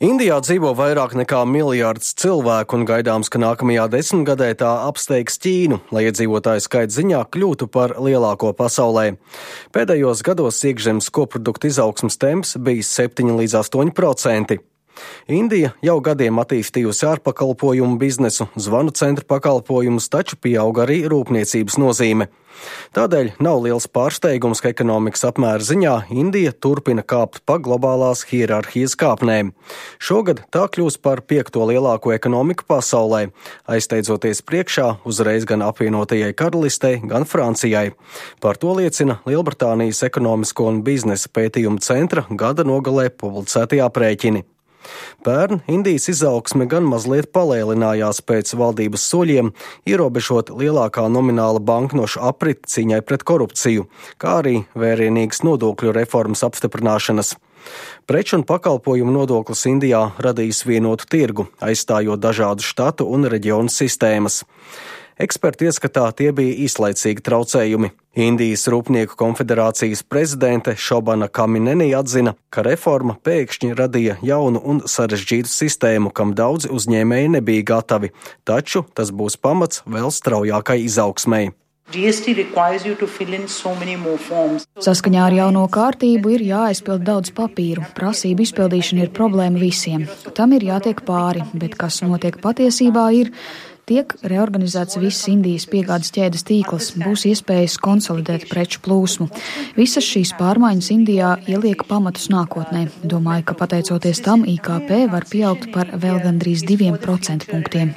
Indijā dzīvo vairāk nekā miljards cilvēku un gaidāms, ka nākamajā desmitgadē tā apsteigs Ķīnu, lai iedzīvotāju skaita ziņā kļūtu par lielāko pasaulē. Pēdējos gados iekšzemes koprodukta izaugsmes temps bija 7 līdz 8%. Indija jau gadiem attīstījusi ārpakalpojumu biznesu, zvanu centru pakalpojumus, taču pieauga arī rūpniecības nozīme. Tādēļ nav liels pārsteigums, ka ekonomikas apmēra ziņā Indija turpina kāpt pa globālās hierarhijas kāpnēm. Šogad tā kļūs par 5. lielāko ekonomiku pasaulē, aizsteidzoties priekšā uzreiz gan apvienotajai karalistei, gan Francijai. Par to liecina Lielbritānijas ekonomisko un biznesa pētījumu centra gada nogalē publicētie aprēķini. Pērn Indijas izaugsme gan mazliet palēlinājās pēc valdības soļiem, ierobežot lielākā nomināla banknošu apriti cīņai pret korupciju, kā arī vērienīgas nodokļu reformas apstiprināšanas. Preču un pakalpojumu nodoklis Indijā radīs vienotu tirgu, aizstājot dažādu štatu un reģionu sistēmas. Eksperti ieskatā tie bija īslaicīgi traucējumi. Indijas Rūpnieku konfederācijas prezidente Šobana Kamineni atzina, ka reforma pēkšņi radīja jaunu un sarežģītu sistēmu, kam daudzi uzņēmēji nebija gatavi, taču tas būs pamats vēl straujākai izaugsmei. Saskaņā ar jauno kārtību ir jāaizpild daudz papīru. Prasību izpildīšana ir problēma visiem. Tam ir jātiek pāri, bet kas notiek patiesībā tiek reorganizēts viss Indijas piegādes ķēdes tīkls, būs iespējas konsolidēt preču plūsmu. Visas šīs pārmaiņas Indijā ieliek pamatus nākotnē. Domāju, ka pateicoties tam IKP var pieaugt par vēl gandrīz 2% punktiem.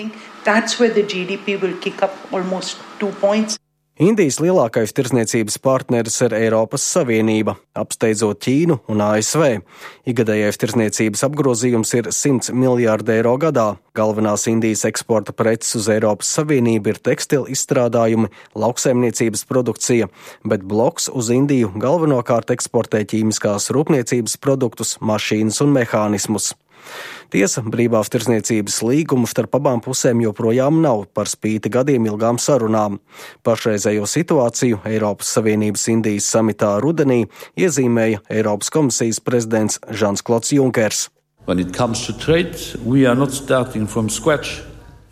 Indijas lielākais tirdzniecības partneris ir Eiropas Savienība, apsteidzot Ķīnu un ASV. Ikgadējais tirdzniecības apgrozījums ir 100 miljārdi eiro gadā. Galvenās Indijas eksporta preces uz Eiropas Savienību ir tekstilu izstrādājumi, lauksaimniecības produkcija, bet bloks uz Indiju galvenokārt eksportē ķīmiskās rūpniecības produktus, mašīnas un mehānismus. Tiesa, brīvās tirdzniecības līgumu starp abām pusēm joprojām nav par spīti gadiem ilgām sarunām. Pašreizējo situāciju Eiropas Savienības Indijas samitā rudenī iezīmēja Eiropas komisijas prezidents Žans-Klods Junkers.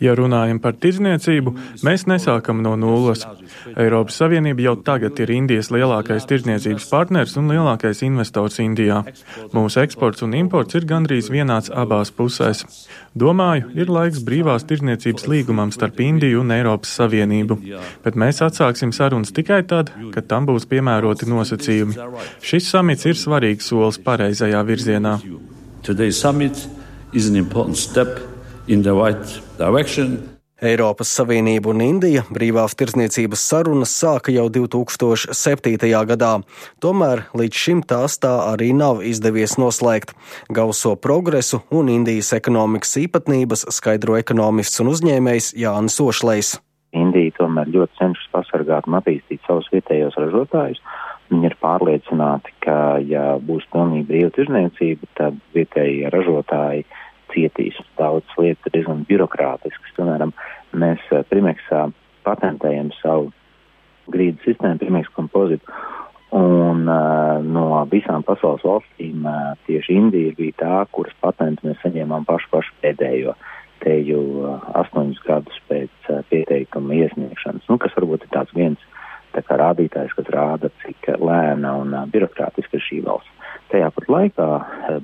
Ja runājam par tirdzniecību, mēs nesākam no nulles. Eiropas Savienība jau tagad ir Indijas lielākais tirdzniecības partners un lielākais investors Indijā. Mūsu eksports un imports ir gandrīz vienāds abās pusēs. Domāju, ir laiks brīvās tirdzniecības līgumam starp Indiju un Eiropas Savienību, bet mēs atsāksim sarunas tikai tad, kad tam būs piemēroti nosacījumi. Šis samits ir svarīgs solis pareizajā virzienā. Today's summit is an important step in the right direction. Eiropas Savienība un Indija brīvās tirdzniecības sarunas sāka jau 2007. gadā. Tomēr līdz šim tās tā arī nav izdevies noslēgt. Gauso progresu un Indijas ekonomikas īpatnības skaidro ekonomists un uzņēmējs Jānis Ošlejs. Indija tomēr ļoti cenšas pasargāt un attīstīt savus vietējos ražotājus. Viņi ir pārliecināti, ka ja būs pilnīgi brīva tirdzniecība, tad vietējie ražotāji cietīs. Daudz lietas ir diezgan birokrātiskas. Piemēram, mēs Primeksā patentējam savu grīdu sistēmu, Primex Composite, un no visām pasaules valstīm tieši Indija bija tā, kuras patentu mēs saņēmām pašu pēdējo, te jau 8 gadus pēc pieteikuma iesniegšanas, kas varbūt ir tāds viens rādītājs, kas rāda, cik lēna un birokrātiska ir šī valsts. Tajā pat laikā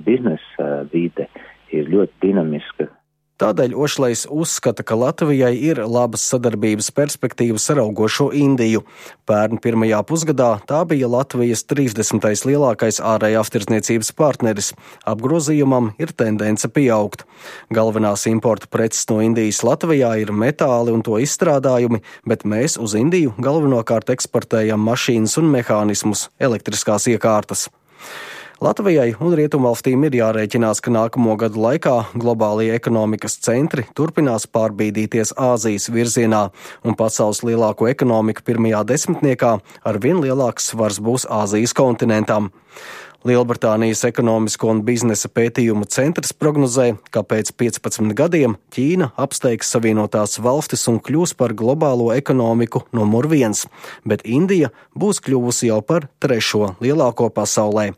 biznesa vide ir ļoti dinamiska. Tādēļ Ošlejs uzskata, ka Latvijai ir labas sadarbības perspektīvas ar augošo Indiju. Pērn pirmajā pusgadā tā bija Latvijas 30. lielākais ārējās tirdzniecības partneris. Apgrozījumam ir tendence pieaugt. Galvenās importa preces no Indijas Latvijā ir metāli un to izstrādājumi, bet mēs uz Indiju galvenokārt eksportējam mašīnas un mehānismus, elektriskās iekārtas. Latvijai un Rietumvalstīm ir jārēķinās, ka nākamo gadu laikā globālie ekonomikas centri turpinās pārbīdīties Āzijas virzienā, un pasaules lielāko ekonomiku pirmajā desmitniekā arvien lielāks svars būs Āzijas kontinentam. Lielbritānijas ekonomisko un biznesa pētījumu centrs prognozē, ka pēc 15 gadiem Ķīna apsteigs Savienotās valstis un kļūs par globālo ekonomiku numur 1, bet Indija būs kļuvusi jau par 3. lielāko pasaulē.